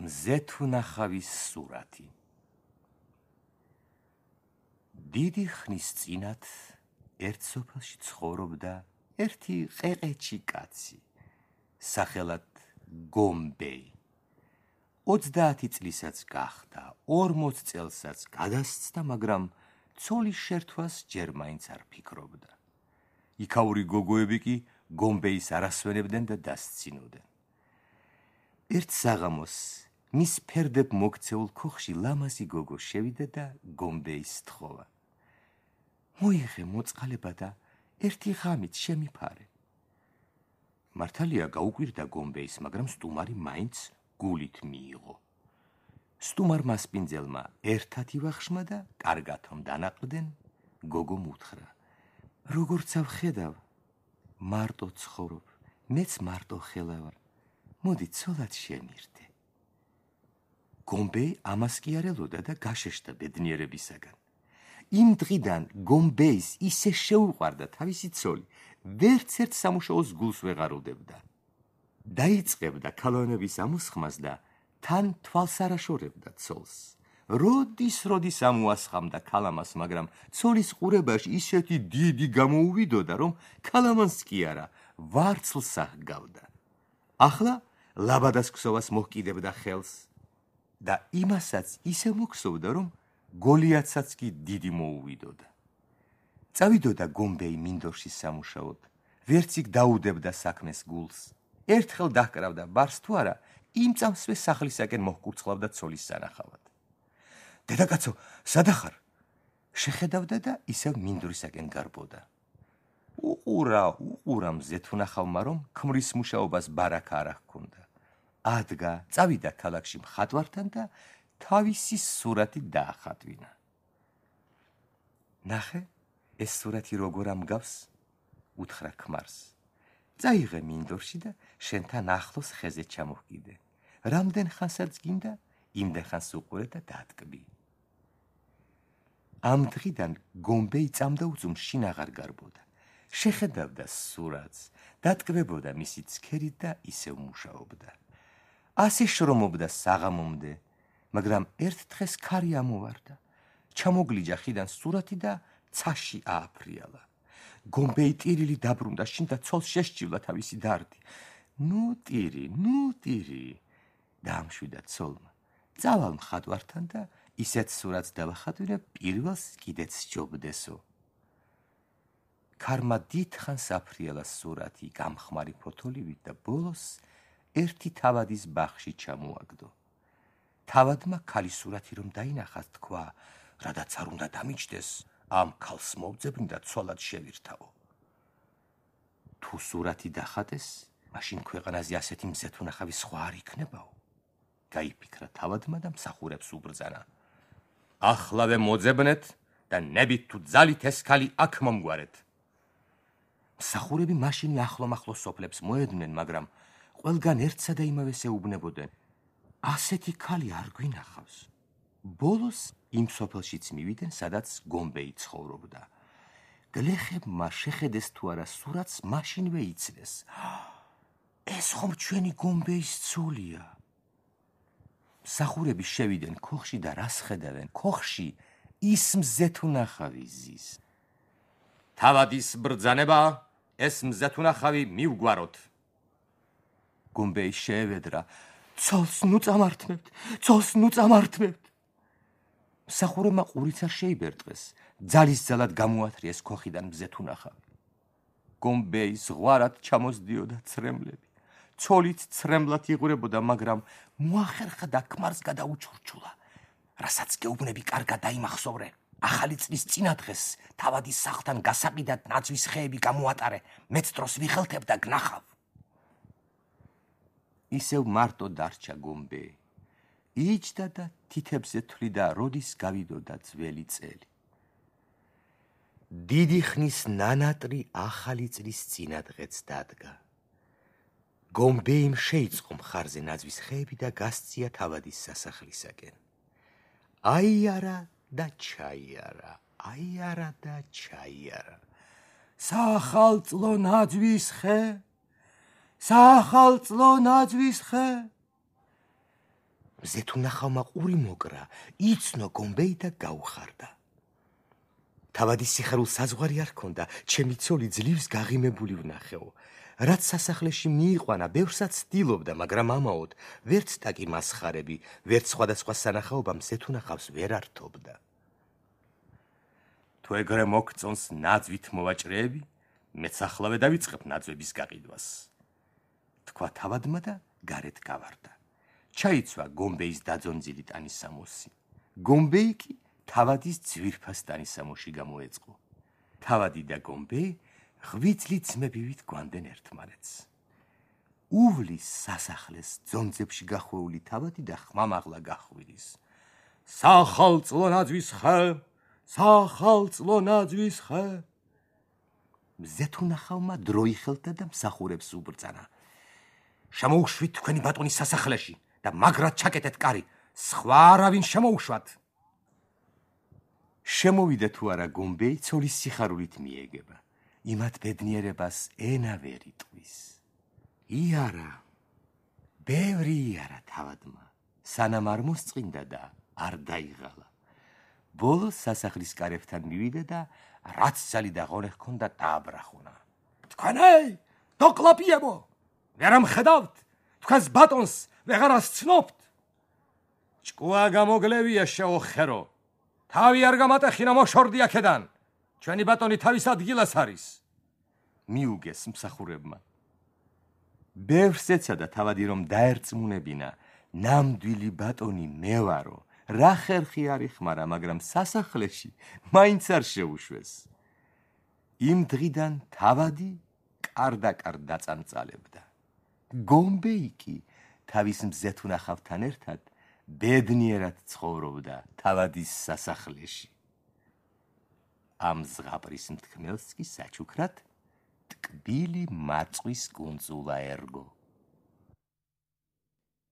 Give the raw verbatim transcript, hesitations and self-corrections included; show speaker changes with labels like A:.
A: მზეთუნახავის სურათი. დიდი ხნის წინათ ერთ სოფელში ცხოვრობდა ერთი ყეყეჩი კაცი, სახელად გომბეი. ოცდაათი წლისაც გახდა, ორმოც წელსაც გადასცდა, მაგრამ ცოლის შერთვას ჯერ მაინც არ ფიქრობდა. იქაური გოგოები კი გომბეის არ ასვენებდნენ და დასცინოდნენ. ერთ საღამოს მის ფერდებ მოქცეულ ქოხში ლამაზი გოგო შევიდა და გომბეის სთხოვა. მოიღე მოწყალება და ერთი ღამით შემიფარე. მართალია გაუკვირდა გომბეის, მაგრამ სტუმარი მაინც გულით მიიღო. სტუმარ მასპინძელმა ერთად ივახშმა და კარგად რომ დანაყრდნენ, გოგომ უთხრა: როგორც ავხედავ, მარტო ცხოვრობ, მეც მარტო ხელავარ. მოდი ცოლად შემირთე. გომბეი ამას კი არ ელოდა და გაშეშდა ბედნიერებისაგან. იმ დღიდან გომბეის ისე შეუყვარდა თავისი ცოლი, ვერც ერთ სამუშაოს გულს ვეღარ უდებდა. დაიწყებდა ქალონების ამოსხმას და თან თვალს არ აშორებდა ცოლს. როდის როდის ამოასხამდა ქალამას, მაგრამ ცოლის ყურებაში ისეთი დიდი გამოუვიდოდა, რომ ქალამანს კი არა, ვარცლს აღგავდა. ახლა ლაბადას ქსოვას მოჰკიდებდა ხელს და იმასაც ისე მოქსოვდა, რომ გოლიათსაც კი დიდი მოუვიდოდა. წავიდოდა გომბეი მინდორში სამუშაოდ, ვერც იქ დაუდებდა საქმეს გულს. ერთხელ დაჰკრავდა ბარს თუ არა, იმ წამსვე სახლისაკენ მოჰკურცხლავდა ცოლის სანახავად. დედაკაცო, სადახარ? შეხედავდა და ისევ მინდვრისაკენ გარბოდა. უყურა, უყურა მზეთუნახავმა, რომ ქმრის მუშაობას ბარაკა არ ჰქონდა. ადგა, წავიდა ქალაქში მხატვართან და თავისი სურათი დაახატვინა. ნახე, ეს სურათი როგორ ამგავს? უთხრა ქმარს. წაიღე მინდორში და შენთან ახლოს ხეზე ჩამოჰკიდე. რამდენ ხანსაც გინდა, იმდენ ხანს უყურე და დატკბი. ამ დღიდან გომბეი წამდა უძუმ შინ აღარ გარბოდა. შეხედავდა სურათს, დატკბებოდა მისი ცქერით და ისევ მუშაობდა. ასე შრომობდა საღამომდე, მაგრამ ერთ დღეს ქარი ამოვარდა. ჩამოგლიჯა ხიდან სურათი და ცაში ააფრიალა. გომბეი ტირილი დაბრუნდა შინ და ცოლს შესჭივლა თავისი დარდი. ნუ ტირი, ნუ ტირი, დაამშვიდა ცოლმა. წავალ მხატვართან და ისეთ სურათს დავახატვინე, პირველს კიდეც სჯობდესო. ქარმა დიდხანს აფრიალა სურათი გამხმარი ფოთოლივით და ბოლოს ერთი თავადის ბაღში ჩამოაგდო. თავადმა ქალის სურათი რომ დაინახათ, თქვა, რადაც არ უნდა დამიჯდეს, ამ ქალს მოვძებნი და ცოლად შევირთავო. თუ სურათი დახატეს, მაშინ ქვეყანაზე ასეთი მზეთუნახავი სხვა არ იქნებაო. გაიფიქრა თავადმა და მსახურებს უბრძანა. ახლავე მოძებნეთ და ნებით თუ ძალით ეს ქალი აქ მომგვარეთ. მსახურები მაშინ ახლომახლო სოფლებს მოედმნენ, მაგრამ ყველგან ერთსა და იმავეს ეუბნებოდნენ. ასეთი ქალი არ გვინახავს. ბოლოს იმ სოფელშიც მივიდნენ, სადაც გომბეი ცხოვრობდა. გლეხებმა შეხედეს თუ არა სურათს, მაშინვე იცნეს. ეს ხომ ჩვენი გომბეის ცოლია. მსახურები შევიდნენ ქოხში და რას ხედავენ? ქოხში ის მზეთუნახავი ზის. თავადის ბრძანება, ეს მზეთუნახავი მივგვაროთ. გომბეი შეევედრა. ცოლს ნუ წამართმევთ, ცოლს ნუ წამართმევთ. მსახურებმა ყურიც არ შეიბერტყეს, ძალის ძალად გამოათრიეს ქოხიდან მზეთუნახავი. გომბეი ზღვარად ჩამოსდიოდა ცრემლები. ცოლით ცრემლად იღვრებოდა, მაგრამ მოახერხა ქმარს გადაუჩურჩულა. რასაც გეუბნები კარგად დაიმახსოვრე. ახალი წლის წინა დღეს თავადის სახლთან გასაყიდად ნაძვის ხეები გამოატარე, მეც დროს ვიხელთებ და გნახავ. ისევ მარტო დარჩა გომბეი. იჯდა და თითებზე თვლიდა, როდის გავიდოდა ძველი წელი. დიდი ხნის ნანატრი ახალი წლის წინა დღეც დადგა. გომბეიმ შეიწყო მხარზე ნაძვის ხეები და გასწია თავადის სასახლისაკენ. აიარა და ჩაიარა, აიარა და ჩაიარა. სახალწლო ნაძვის ხე, სახალწლო ნაძვის ხე. მზე თუ ნახავმა ყური მოკრა, იცნო გომბეი და გაუხარდა. თავადის სიხარულ საზღვარი არ ქონდა, ჩემი ცოლი ძლივს გაღიმებული ვნახეო. რაც სასახლეში მიიყვანა, ბევრსაც ცდილობდა, მაგრამ ამაოდ ვერც ტაკი მასხარები, ვერც სხვადასხვა სანახაობა მზე თუ ნახავს ვერ ართობდა. თუ ეგრე მოგწონს ნაძვით მოვაჭრეები, მეც ახლავე დავიწყებ ნაძვების გაყიდვას. თქვა თავადმა და გარეთ გავარდა. ჩაიცვა გომბეის დაძონძილი ტანისამოსი. გომბეი კი თავადის ძვირფას ტანისამოში გამოეწყო. თავადი და გომბეი ღვიძლი ძმებივით გვანდნენ ერთმანეთს. უვლის სასახლეს ძონძებში გახვეული თავადი და ხმამაღლა გახვირის. სახალწლო ნაძვის ხე, სახალწლო ნაძვის ხე. მზე თუ ნახავმა დრო იხელთა და მსახურებს უბრძანა. შემოუშვით თქვენი ბატონის სასახლეში და მაგრად ჩაკეტეთ კარი, სხვა არავინ შემოუშვათ. შემოვიდა თუ არა გომბეი ცოლის სიხარულით მიეგება. იმათ ბედნიერებას ენა ვერ იტყვის. იარა, ბევრი იარა თავადმა, სანამ არ მოსწყინდა და არ დაიღალა. ბოლოს სასახლის კარებთან მივიდა და რაც ძალი და ღონე ჰქონდა დააბრახუნა. თქვენეი, დოკლაპიებო, ვერ ამხედავთ, თქვენს ბატონს ვეღარ ასცნობთ. ჭკუა გამოგლევია შეოხერო, თავი არ გამატეხინა მოშორდი აქედან. ჩვენი ბატონი თავის ადგილას არის. მიუგეს მსახურებმა. ბევრს ეცადა თავადი რომ დაერწმუნებინა, ნამდვილი ბატონი მე ვარო, რა ხერხი არ იხმარა, მაგრამ სასახლეში მაინც არ შეუშვეს. იმ დღიდან თავადი კარდაკარ დაწამწალებდა. გომბეი კი თავის მზე თუ ნახავთან ერთად ბედნიერად ცხოვრობდა თავადის სასახლეში. ამ ზღაპრის მთქმელს კი საჩუქრად ტკბილი მარწყვის კუნძულა ერგო.